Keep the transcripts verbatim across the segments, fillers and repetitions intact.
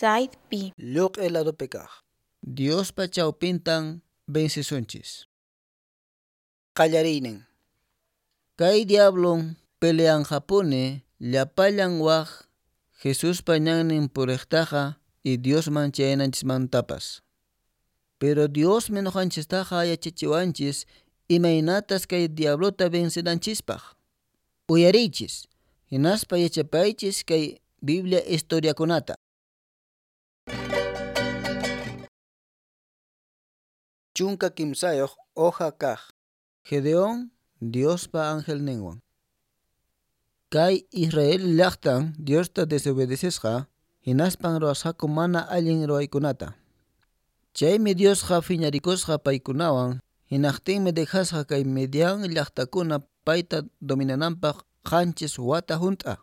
Side B. Lluq'i ladopi kaq. Diospa chawpintan vencesunchis. Qallariynin. Kay diablon peleanqapuni llapallan waq Jesuspa ñannin puriqtaqa y Diosman chayananchismantapas. Pero Diosmi nuqanchistaqa yachachiwanchis imaynatas kay diablota vencenanchispaq. Uyariychis, hinaspa yachapaychis kay Biblia historiakunata. Chunka kimsayuq hoja kaq. Gedeón Diospa angelninwan. Kay Israel llaqtan Diosta desobedecesqa, hinaspan ruwasqaku mana allin ruwaykunata. Chaymi Diosqa phiñarikusqa paykunawan, hinaqtinmi dejasqa kay Midian llaqtakuna payta dominananpaq qanchis wata hunt'a.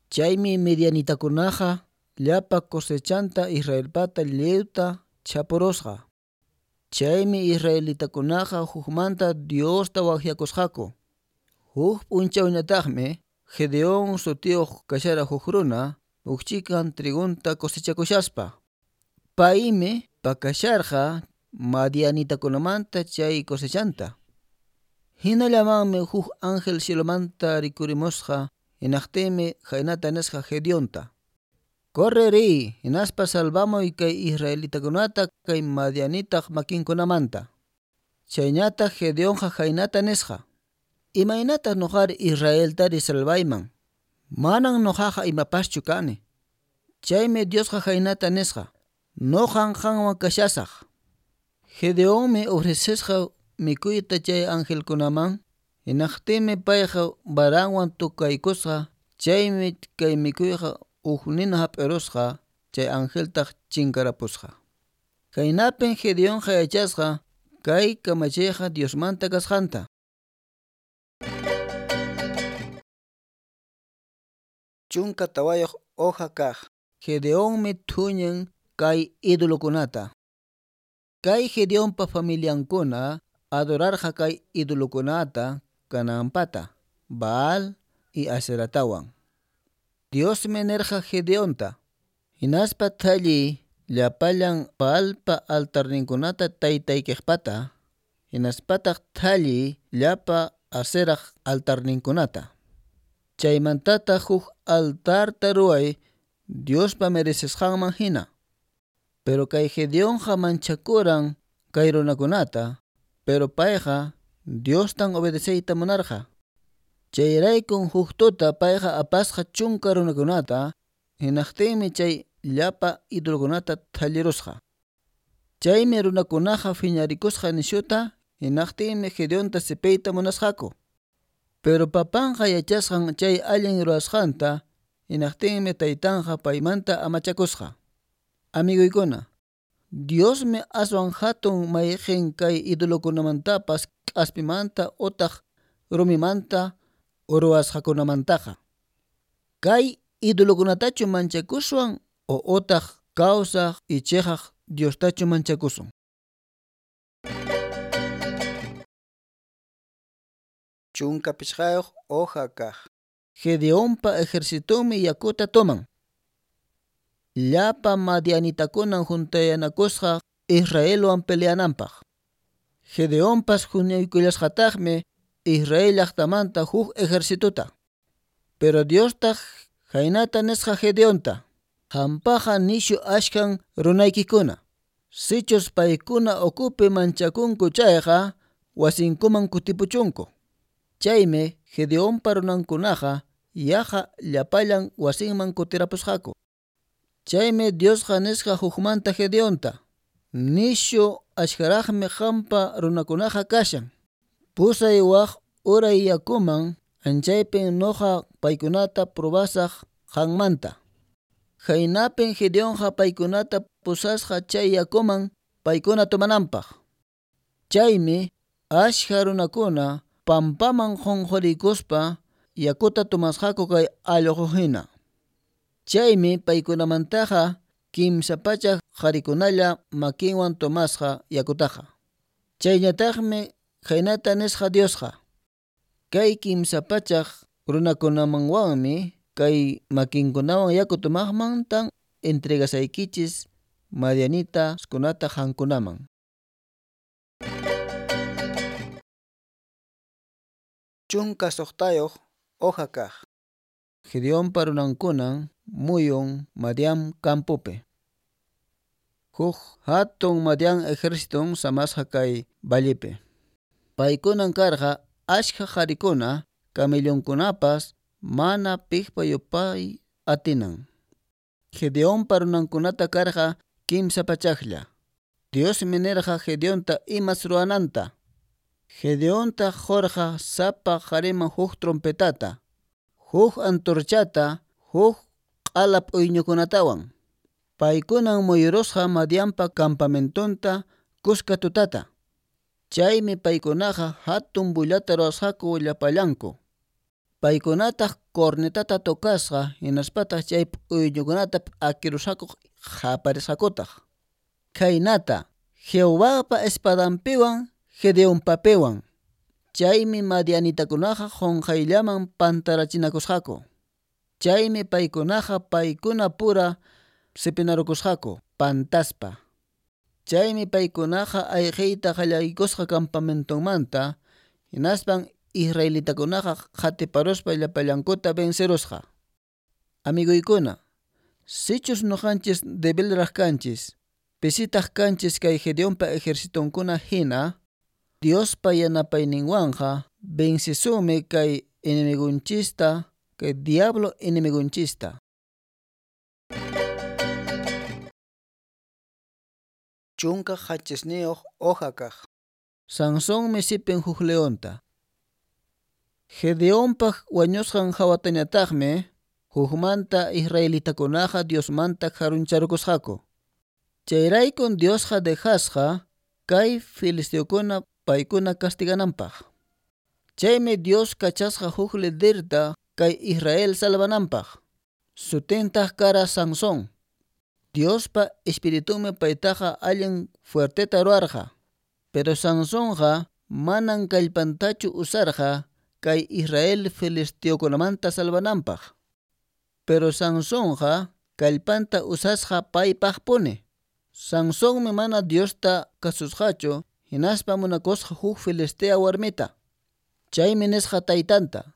Chaymi midianitakunaqa llapa cosechanta Israelpata lliwta chapurusqa. Chaymi israelitakunaqa hukmanta Diosta waqyakusqaku. Huk p'unchawñataqmi Gedeón sutiyuq kashara huk runa huk chikan trigunta cosechakushaspa. Paymi pakasharqa madianitakunamanta chay cosechanta. Hinallamanmi huk ángel cielomanta rikurimusqa hinaqtinmi khaynata nisqa Gedeonta: Corre riy, hinaspa salvamuy kay israelitakunata kay madianitaq makinkunamanta. Chayñataq Gedeonqa khaynata nisqa: Imaynataq nuqari Israeltari salvayman? Manan nuqaqa imapaschu kani. Chaymi Diosqa khaynata nisqa: Nuqan qanwan kashasaq. Gedeonmi ofrecesqa mikuyta chay angelkunaman, hinaqtinmi payqa varanwan tukaykusqa, chaymi kay mikuyqa huk nina hap'irusqa, chay angeltaq chinkarapusqa. Khaynapin Gedeonqa yachasqa kay kamachiyqa Diosmanta kasqanta. Chunka tawayuq hoja kaq. Gedeonmi thuñin kay idolokunata. Kay Gedeonpa familiankuna adorarqa kay idolokunata Canaanpata, Baal y Aseratawan. Diosmi nirqa Gedeonta: Hinaspa thalliy llapallan Baalpa altarninkunata taytaykiqpata, hinaspataq thalliy llapa Aseraq altarninkunata. Chaymantataq huk altarta ruway Diospa merecesqanman hina. Pero kay Gedeonqa manchakuran kay runakunata, pero payqa Diostan obedeceyta munarqa. Chayraykun huk tuta payqa apasqa chunka runakunata, hinaqtinmi chay llapa idolokunata thallirusqa. Chaymi runakunaqa phiñarikusqa nishuta, hinaqtinmi Gedeonta sipiyta munasqaku. Pero papanqa yachasqan chay allin ruwasqanta, hinaqtinmi taytanqa paymanta amachakusqa. Amiguykuna, Diosmi aswan hatun mayqin kay idolokunamantapas k'aspimanta utaq rumimanta ruwasqakunamantaqa. Kay idolokunatachu manchakuswan o utaq kawsaq y chiqaq Diostachu manchakusun. Chunka pichqayuq hoja kaq. Gedeonpa ejercitonmi yakuta toman. Llapa madianitakunan juntayanakusqa Israelwan peleananpaq. Gedeonpas huñuykullasqataqmi Israel llaqtamanta huk ejercitota. Pero Diostaq khaynata nisqa Gedeonta: Qampaqa nishu ashkan runaykikuna. Sichus paykuna ukupi manchakunku chayqa wasinkuman kutipuchunku. Chaymi Gedeonpa runankunaqa yaqa llapallan wasinman kutirapusqaku. Chaymi Diosqa nisqa hukmanta Gedeonta: Nishu ashkaraqmi qampa runakunaqa kashan. Pusay waq uray yakuman, anchaypin nuqa paykunata probasaq qanmanta. Khaynapin Gedeonqa paykunata pusasqa chay yakuman paykuna tomananpaq. Chaymi ashka runakuna pampaman qunqurikuspa yakuta tomasqaku kay allqu hina. Chaymi paykunamantaqa kimsa pachak qharikunalla makinwan tomasqa yakutaqa. Chayñataqmi khaynata nisqa Diosqa: Kay kimsa pachak runakunamanwanmi kay makinkunawan yaku tomaqmantan entregasaykichis madianitaskunata qankunaman. Chunka suqtayuq hoja kaq. Gedeonpa runankunan muyun Madian campopi. Huk hatun Madian ejérciton samasqa kay vallepi. Paykunan karqa achka qarikuna, camellonkunapas mana piqpa yupay atinan. Gedeonpa runankunata karqa kimsa pachaklla. Diosmi nirqa Gedeonta imas ruwananta. Gedeonta qurqa sapa qhariman huk trompetata, huk antorchata, huk q'ala p'uyñukunatawan. Paykunan muyurusqa Madianpa campamentonta kuska tutata. Chaymi paykunaqa hatun bullata ruwasqaku llapallanku. Paykunataq cornetata tocasqa hinaspataq chay p'uyñukunata p'akirusqaku qaparisqakutaq. Khaynata Jehovapa espadanpiwan Gedeonpapiwan. Chaymi madianitakunaqa qunqayllaman pantarachinakusqaku. Chaymi paykunaqa paykuna pura sipinarukusqaku pantaspa. Chaymi paykunaqa ayqiyta qallaykusqa campamentonmanta hinaspan israelitakunaqa qatiparuspa llapallankuta vencerusqa. Amiguykuna, sichus ñuqanchis debilraq kanchis, pisitaq kanchis kay Gedeonpa ejercitonkuna hina, Diospa yanapayninwanqa vencisumi kay enemigunchista, kay diablo enemigunchista. Chunka qanchisniyuq hoja kaq. Sansonmi sipin huk leonta. Gedeonpaq wañusqan hawatañataqmi hukmanta israelitakunaqa Diosmanta karuncharukusqaku. Chayraykun Diosqa dejasqa kay filisteokuna paykuna castigananpaq. Chaymi Dios kachasqa huk liderta kay Israel salvananpaq. Sutintaq kara Sansón. Diospa espiritunmi paytaqa allin fuerteta ruwarqa. Pero Sansonqa manan kallpantachu usarqa kay Israel filisteokunamanta salvananpaq. Pero Sansonqa kallpanta usasqa paypaqpuni. Sansonmi mana Diosta kasusqachu hinaspa munakusqa huk filistea warmita. Chaymi nisqa taytanta: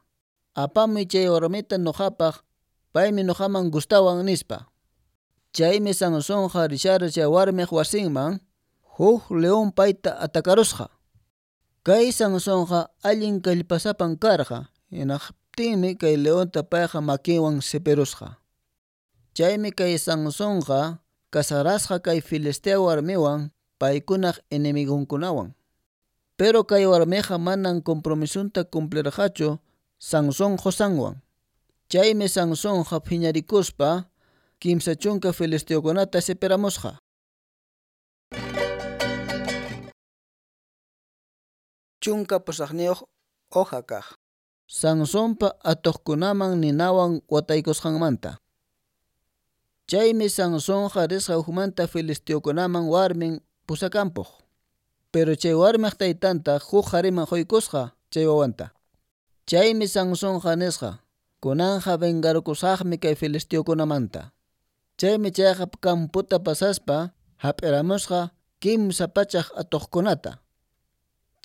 apamuy chay warmita ñuqapaq, paymi ñuqaman gustawan nispa. Chaymi Sansonqa rishara chay warmiq wasinman, huk león payta atakarusqa. Kay Sansonqa allin kallpasapan karqa, hinaqtinmi kay leonta payqa makinwan sipirusqa. Chaymi kay Sansonqa casarasqa kay filistea warmiwan paykunaq enemigunkunawan. Pero kay warmiqa manan compromisunta cumplirqachu Sansón qosanwan. Chaymi Sansonqa phiñarikuspa kimsa chunka filisteokunata sipiramusqa. Chunka pusaqniyuq hoja kaq. Sansonpa atuqkunaman ninawan wataykusqanmanta. Chaymi Sansonqa risqa hukmanta filisteokunaman warmin pusakampuq. Pero chay warmiq taytanta huk qhariman quykusqa chay wawanta. Chaymi Sansonqa nisqa: kunanqa vengarukusaqmi kay filisteokunamanta. Chaymi chayqa camputa pasaspa hap'iramusqa kimsa pachak atuqkunata.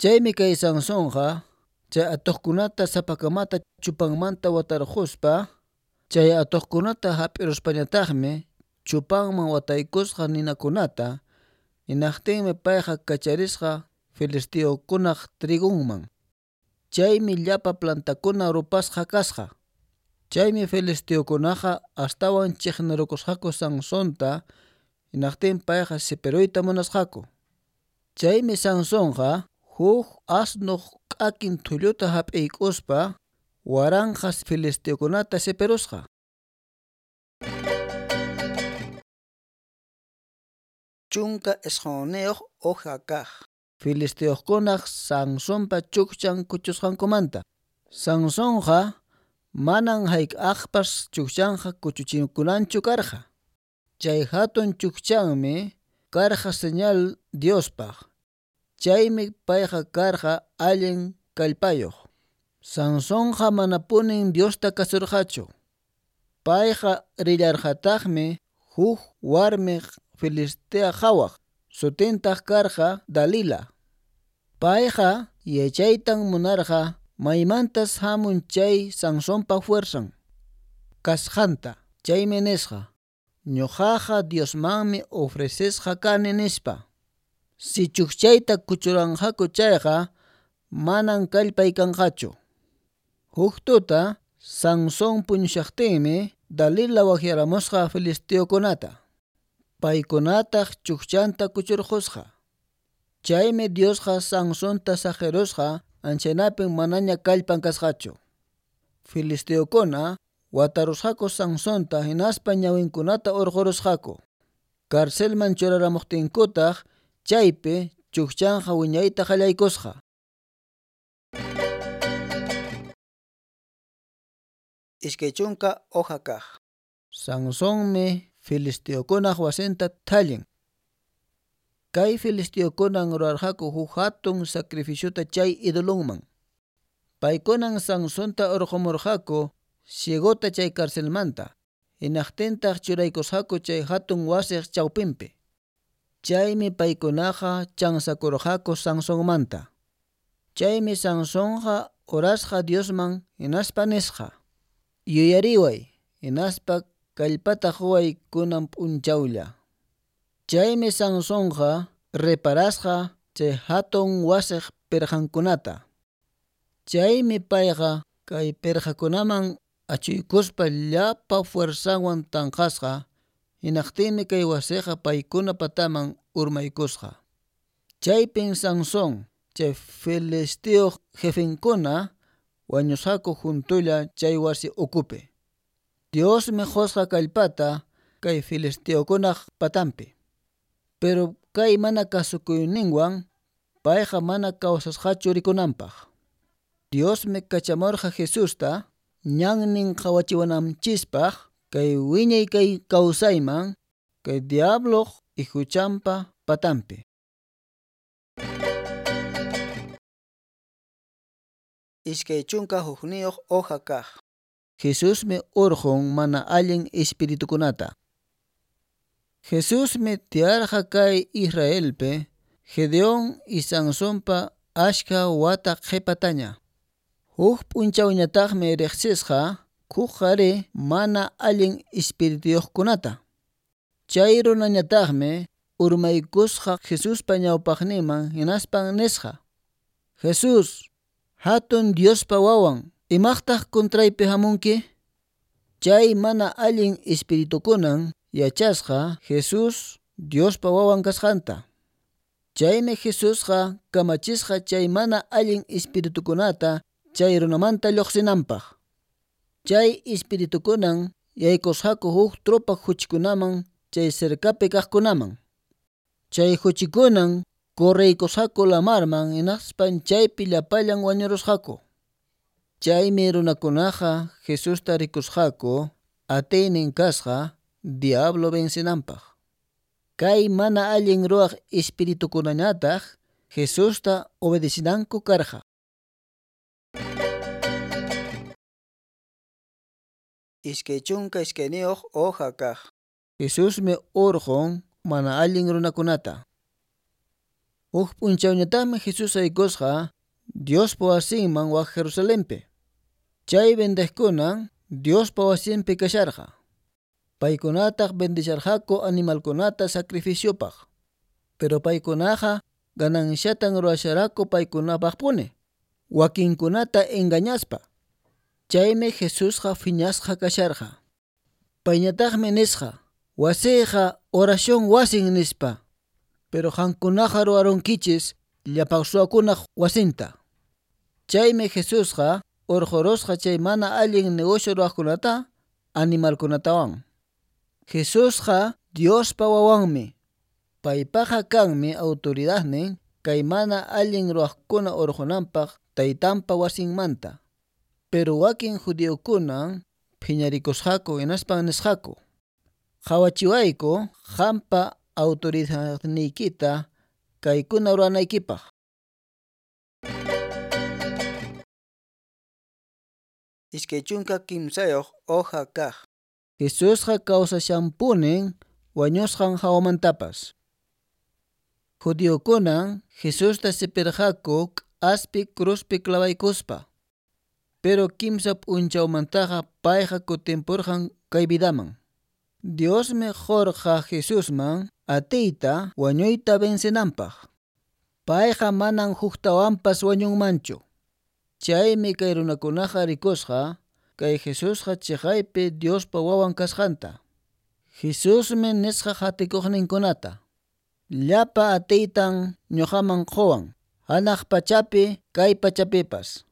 Chaymi kay Sansonqa chay atuqkunata sapakamata chupanmanta watarquspa, chay atuqkunata hap'iruspañataqmi chupanman wataykusqa ninakunata, hinaqtinmi payqa kacharisqa filisteokunaq trigunman. Chaymi llapa plantakuna rupasqa kasqa. Chaymi filisteokunaqa astawan chiqnirukusqaku Sansonta, hinaqtin payqa sipiruyta munasqaku. Chaymi Sansonqa huk asnuq k'akin thulluta hap'iykuspa waranqa filisteokunata sipirusqa. Chunka isqunniyuq hoja kaq. Filisteokunaq Sansonpa chukchan kuchusqankumanta. Sansonqa manan hayk'aqpas chukchanqa kuchuchikunanchu karqa. Chay hatun chukchanmi karqa señal Diospaq. Chaymi payqa karqa allin kallpayuq. Sansonqa manapunin Diosta kasurqachu. Payqa rillarqataqmi huk warmi Filistea qhawaq, sutintaq karqa Dalila. Payqa yachaytan munarqa maymantas hamun chay Sansonpa fuerzan kasqanta. Chaymi nisqa: Ñuqaqa Diosmanmi ofrecesqa kani nispa. Si chukchayta kuchuranqaku chayqa manan kallpay kanqachu. Huk tuta Sansón puñushaqtinmi Dalila waqyaramusqa filisteokunata. Paykunataq chukchanta kuchurqusqa. Chaymi Diosqa Sansonta saqirusqa anchaynapin manaña kallpan kasqachu. Filisteokuna watarusqaku Sansonta hinaspa ñawinkunata urqurusqaku. Carcelman churaramuqtinkutaq chaypi chukchanqa wiñayta qallaykusqa. Iskay chunka hoja kaq. Sansonmi filisteokunaq wasinta thallin. Kay filisteokunan rurarqaku huk hatun sacrificiota chay idolonman. Paykunan Sansonta urqumurqaku ciegota chay carcelmanta, hinaqtintaq churaykusqaku chay hatun wasiq chawpinpi. Chaymi paykunaqa chansakurqaku Sansonmanta. Chaymi Sansonqa orasqa Diosman hinaspa nisqa: Yuyariway, hinaspa kallpata quway kunan p'unchawlla. Chaymi Sansonqa reparasqa chay hatun wasiq pirqankunata. Chaymi payqa kay pirqakunaman achuykuspa llapa fuerzanwan tanqasqa, hinaqtinmi kay wasiqa paykuna pataman urmaykusqa. Chaypin Sansón chay filisteo jefenkuna wañusqaku juntulla chay wasi ukupi. Diosmi qusqa kallpata kay filisteokunaq patanpi. Pero kay mana kasukuyninwan payqa mana kawsasqachu rikunanpaq. Diosmi kachamurqa Jesusta ñannin qhawachiwananchispaq kay wiñay kay kawsayman kay diabloq ihuchanpa patanpi. Iskay chunka hukniyuq hoja kaq. Jesusmi urqun mana allin espiritukunata. Jesusmi tiyarqa kay Israelpi Gedeón y Sansonpa ashka wata qhipataña. Huk p'unchawñataqmi riqsisqa huk qhari mana allin espirituyuqkunata. Chay runañataqmi urmaykusqa Jesuspa ñawpaqninman hinaspan nisqa: Jesús, hatun Diospa wawan, imaqtaq contraypi hamunki? Chay mana allin espiritukunan yachasqa Jesús Diospa wawan kasqanta. Chaymi Jesusqa kamachisqa chay mana allin espiritukunata chay runamanta lluqsinanpaq. Chay espiritukunan yaykusqaku huk tropa huchikunaman chay cercapi kaqkunaman. Chay huchikunan correykusqaku lamarman hinaspan chaypi llapallan wañurusqaku. Chaymi runakunaqa Jesusta rikusqaku atiynin kasqa diablo vencinanpaq. Kay mana allin ruwaq espiritukunañataq Jesusta obedecinanku karqa. Iskay chunka iskayniyuq hoja kaq. Jesusmi urqun mana allin runakunata. Huk p'unchawñataqmi Jesús aykusqa Diospa wasinman wak Jerusalenpi. Chay vendeqkunan Diospa wasinpi kasharqa. Paykunataq bendisharqaku animalkunata sacrificiopaq. Pero paykunaqa gananciatan ruwasharaku paykunapaqpuni, wakinkunata engañaspa. Chaymi Jesusqa phiñasqa kasharqa. Payñataqmi nisqa: Wasiyqa oración wasin nispa. Pero qankunaqa ruwarunkichis llapan suwakunaq wasinta. Chaymi Jesusqa urqurusqa chay mana allin negocio ruwaqkunata animalkunatawan. Jesusqa Diospa wawanmi. Paypaqa kanmi autoridadnin kay mana allin ruwaqkuna urqunanpaq taytanpa wasinmanta. Pero wakin judiokunan phiñarikusqaku hinaspan nisqaku: Qhawachiwayku qampa autoridadniykita kaykuna ruwanaykipaq. Iskay chunka kimsayuq hoja kaq. Jesusqa kawsashanpunin wañusqan hawamantapas. Judiokunan Jesusta sipirqaku k'aspi cruzpi clavaykuspa. Pero kimsa p'unchawmantaqa payqa kutimpurqan kay vidaman. Diosmi qurqa Jesusman atiyta wañuyta vencenanpaq. Payqa manan huktawanpas wañunmanchu. Chaymi kay runakunaqa rikusqa kay Jesusqa chiqaypi Diospa wawan kasqanta. Jesusmi nisqa qatikuqninkunata: Llapa atiytan ñuqaman quwan, hanaq pachapi kay pachapipas.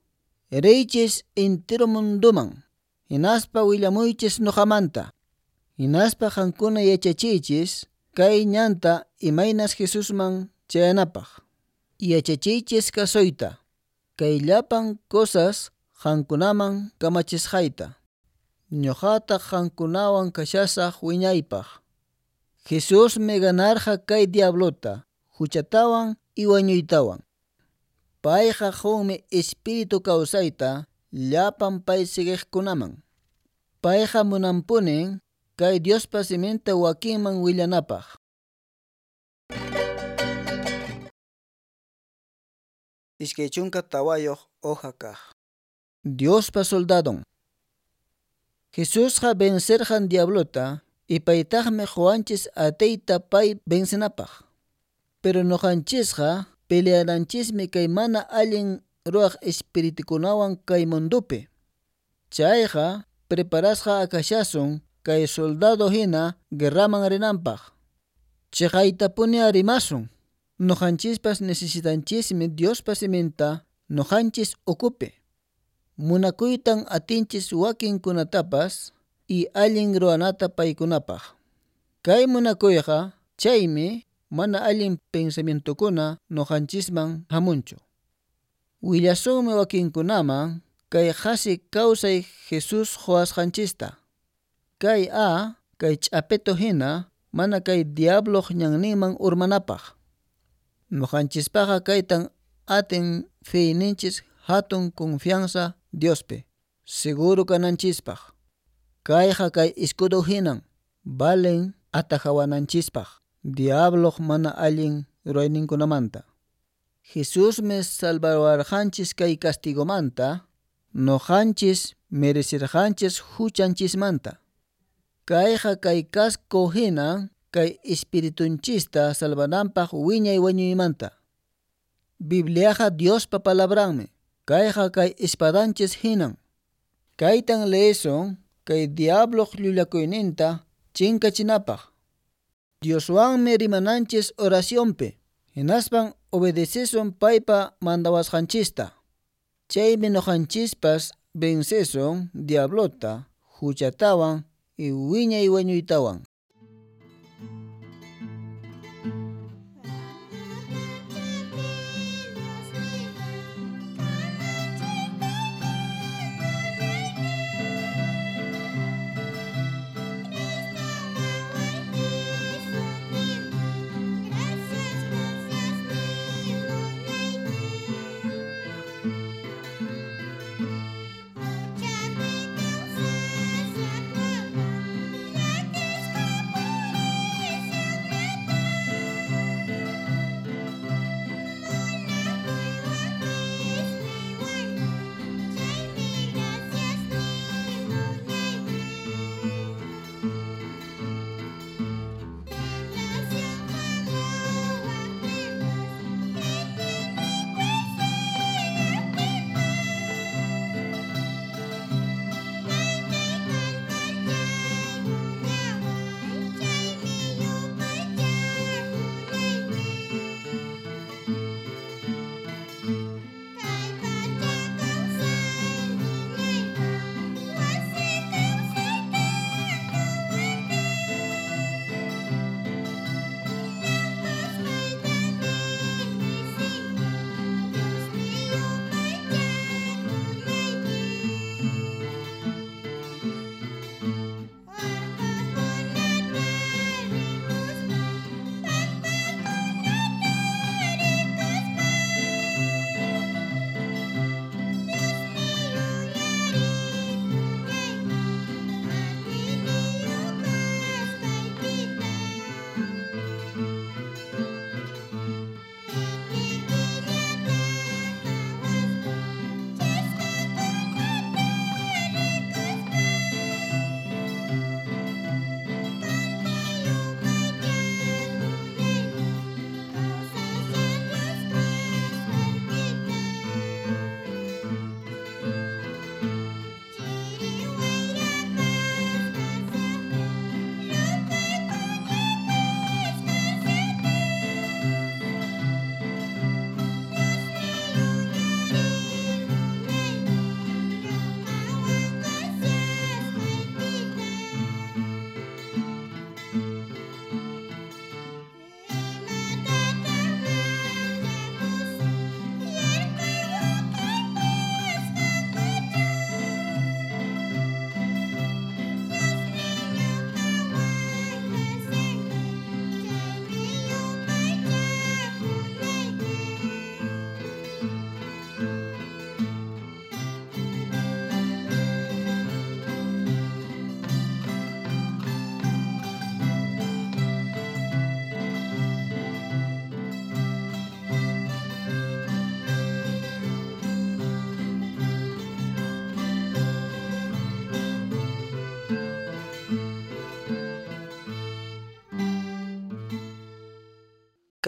Riychis entero munduman, hinaspa willamuychis ñuqamanta. Hinaspa qankuna yachachiychis kay ñanta imaynas Jesusman chayanapaq. Yachachiychis kasuyta, kay llapan cosas qankunaman kamachisqayta. Ñuqataq qankunawan kashasaq wiñaypaq. Jesusmi ganarqa kay diablota, huchatawan y wañuytawan. Payqa qunmi espíritu kawsayta llapan pay siguiqkunaman. Payqa munanpunin kay Diospa siminta wakinman willanapaq. Iskay chunka tawayuq hoja kaq. Diospa soldadon. Jesusqa vencerqan diablota y paytaqmi quwanchis atiyta pay vencenapaq. Pero ñuqanchisqa peleananchismi kay mana allin ruwaq espiritukunawan kay mundupi. Chayqa preparasqa akashasun kay soldado hina guerraman rinanpaq. Chiqaytapuni rimasun. Ñuqanchispas necesitanchismi Diospa siminta ñuqanchis ukupi. Munakuytan atinchis wakinkunatapas y allin ruwanata paykunapaq. Kay munakuyqa chaymi mana allin pensamientokuna ñuqanchisman hamunchu. Willasunmi wakinkunaman kay qhasi kawsay Jesús quwasqanchista. Kay a kay ch'apeto hina mana kay diabloq ñanninman urmanapaq. Ñuqanchispaqqa kaytan atin feyninchis hatun confianza Diospi, seguro kananchispaq. Kayqa kay escudo hinan valen atajawananchispaq diabloq mana allin rurayninkunamanta. Jesusmi salvawarqanchis kay castigomanta, ñuqanchis merecerqanchis huchanchismanta. Kayqa kay casco hinan kay espiritunchista salvananpaq wiñay wañuymanta. Bibliaqa Diospa palabranmi. Kayqa kay espadanchis hinan. Kaytan leesun kay diabloq llullakuyninta chinkachinapaq. Dioswanmi rimananchis oracionpi, hinaspan obedecesun paypa mandawasqanchista. Chaymi ñuqanchispas vencesun diablota, huchatawan y wiñay wañuytawan. Gracias, gracias,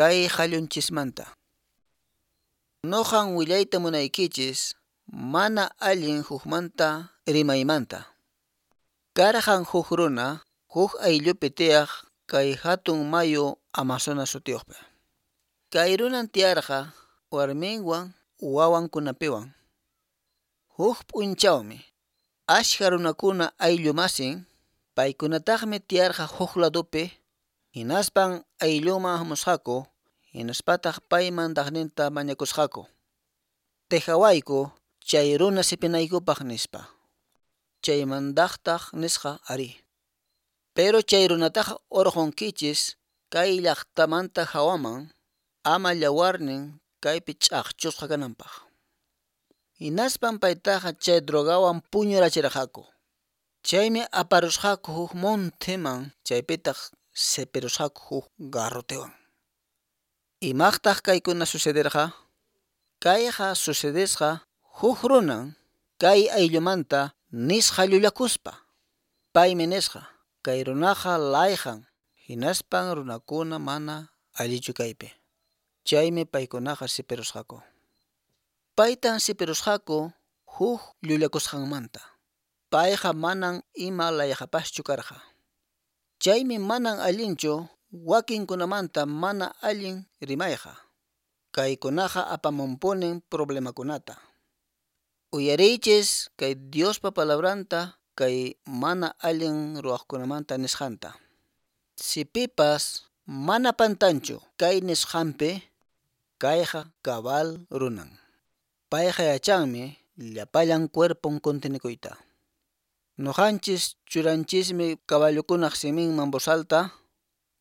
kay qallunchismanta. Nuqan willayta munaykichis mana allin hukmanta rimaymanta. Karqan huk runa huk ayllupi tiyaq kay hatun mayu Amazonas sutiyuqpi. Kay runan tiyarqa warminwan wawankunapiwan. Huk p'unchawmi ashka runakuna ayllu masin paykunataqmi tiyarqa huk ladupi hinaspan ayllunman hamusqaku hinaspataq pay mandaqninta mañakusqaku. Dejawayku chay runa sipinaykupaq nispa. Chay mandaqtaq nisqa arí. Pero chay runataqa urqunkichis kay llaqtamanta hawaman ama yawarnin kaypi ch'aqchusqa kananpaq. Hinaspan paytaqa chay drogawan puñurachirqaku. Chaymi aparusqaku huk monteman chaypitaq sipirusqaku huk garrotewan. Imaqtaq kaykuna sucederqa? Kayqa sucedesqa huk runan kay ayllumanta nisqa llullakuspa. Paymi nisqa kay runaqa layqan hinaspan runakuna mana allichu kaypi. Chaymi paykunaqa sipirusqaku. Paytan sipirusqaku huk llullakusqanmanta. Payqa manan ima layqapaschu karqa. Chaymi manan allinchu wakinkunamanta mana allin rimayqa. Kaykunaqa apamunpunin problemakunata. Uyariychis kay Diospa palabranta kay mana allin ruwaqkunamanta nisqanta. Si pipas mana pantanchu kay nisqanpi, kayqa cabal runan. Payqa yachanmi llapallan cuerpon contenikuyta. Nuqanchis churanchismi caballokunaq siminman bozalta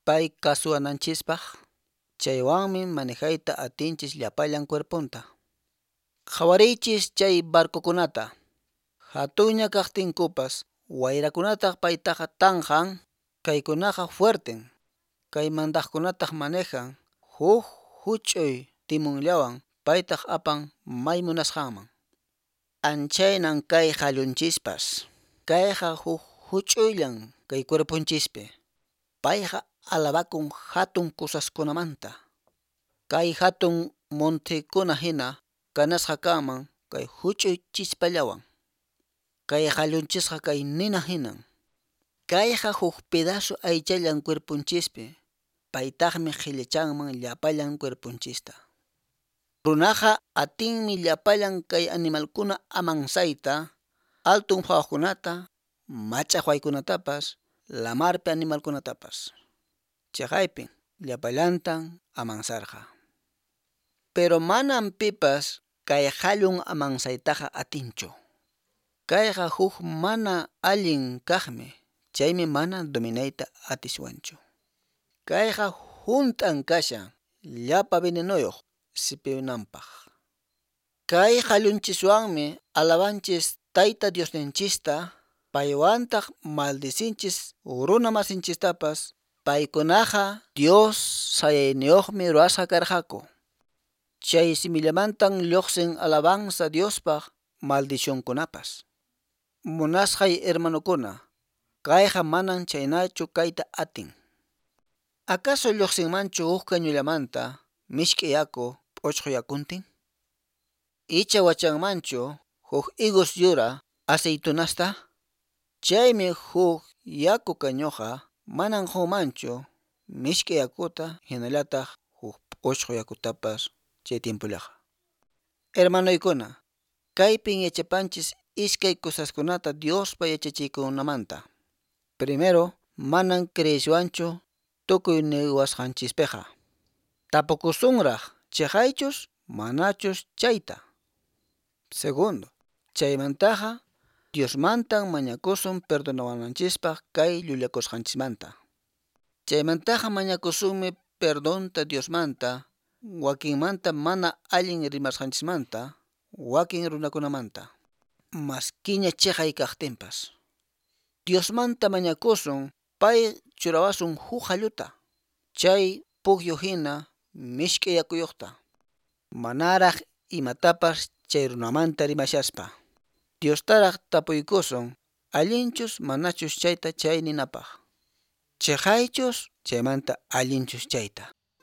pay kasuwananchispaq. Chaywanmi manejayta atinchis llapallan cuerponta. Qhawariychis chay barcokunata. Hatunña kaqtinkupas wayrakunataq paytaqa tanqan, kaykunaqa fuerten. Kay mandaqkunataq manejan huk huch'uy timunllawan paytaq apan may munasqanman. Anchaynan kay qallunchispas. Kayqa huk huch'uyllan kay cuerponchispi. Payqa alabakun hatun cosaskunamanta. Kay hatun montekuna hina kanasqa kanman kay huch'uy chispallawan. Kay qallunchisqa kay nina hinan. Kayqa huk pedazo aychallan cuerponchispi. Paytaqmi qhillachanman llapallan cuerponchista. Runaqa atinmi llapallan kay animalkuna amansayta, altun phawaqkunata, mach'aqwaykunatapas, lamarpi animalkunatapas. Chaqaypin llapallantan amansarqa. Pero manan pipas kay qallun amansaytaqa atinchu. Kayqa huk mana allin kaqmi, chaymi mana dominayta atiswanchu. Kayqa hunt'an kashan llapa venenoyuq sipinanpaq. Kay qallunchiswanmi alabanchis Tayta Diosninchista, paywantaq maldicinchis runa masinchistapas, paykunaqa Dios sayayniyuqmi ruwasqa karqaku. Chay simillamantan lluqsin alabanza Diospaq maldicionkunapas. Munasqay hermanukuna, kayqa manan chaynachu kayta atin. Acaso lluqsinmanchu huk kañullamanta mishk'i yaku p'uchqu yakuntin? Icha wachanmanchu huk higos yura aceitunasta? Chaymi huk yaku kañuqa manan qunmanchu mishk'i yakuta hinallataq huk p'uchqu yakutapas chay tiempollaqa. Hermanoykuna, kaypin yachapanchis iskay cosaskunata Diospa yachachiykunamanta. Primero, manan creeshwanchu tukuy niwasqanchispiqa. Tapukusunraq chiqaychus manachus chayta. Segundo, chaymantaqa Diosmantan mañakusun perdonawananchispaq kay llullakusqanchismanta. Chaymantaqa mañakusunmi perdonta Diosmanta, wakinmanta mana allin rimasqanchismanta, wakin runakunamanta. Maskiña chiqay kaqtinpas. Diosmanta mañakusun pay churawasun huk qalluta, chay pukyu hina mishk'i yakuyuqta. Manaraq imatapas chay runamanta rimashaspa. Diostaraq tapuykusun allinchus manachus chayta chay ninapaq. Chiqaychus chaymanta allinchus chayta.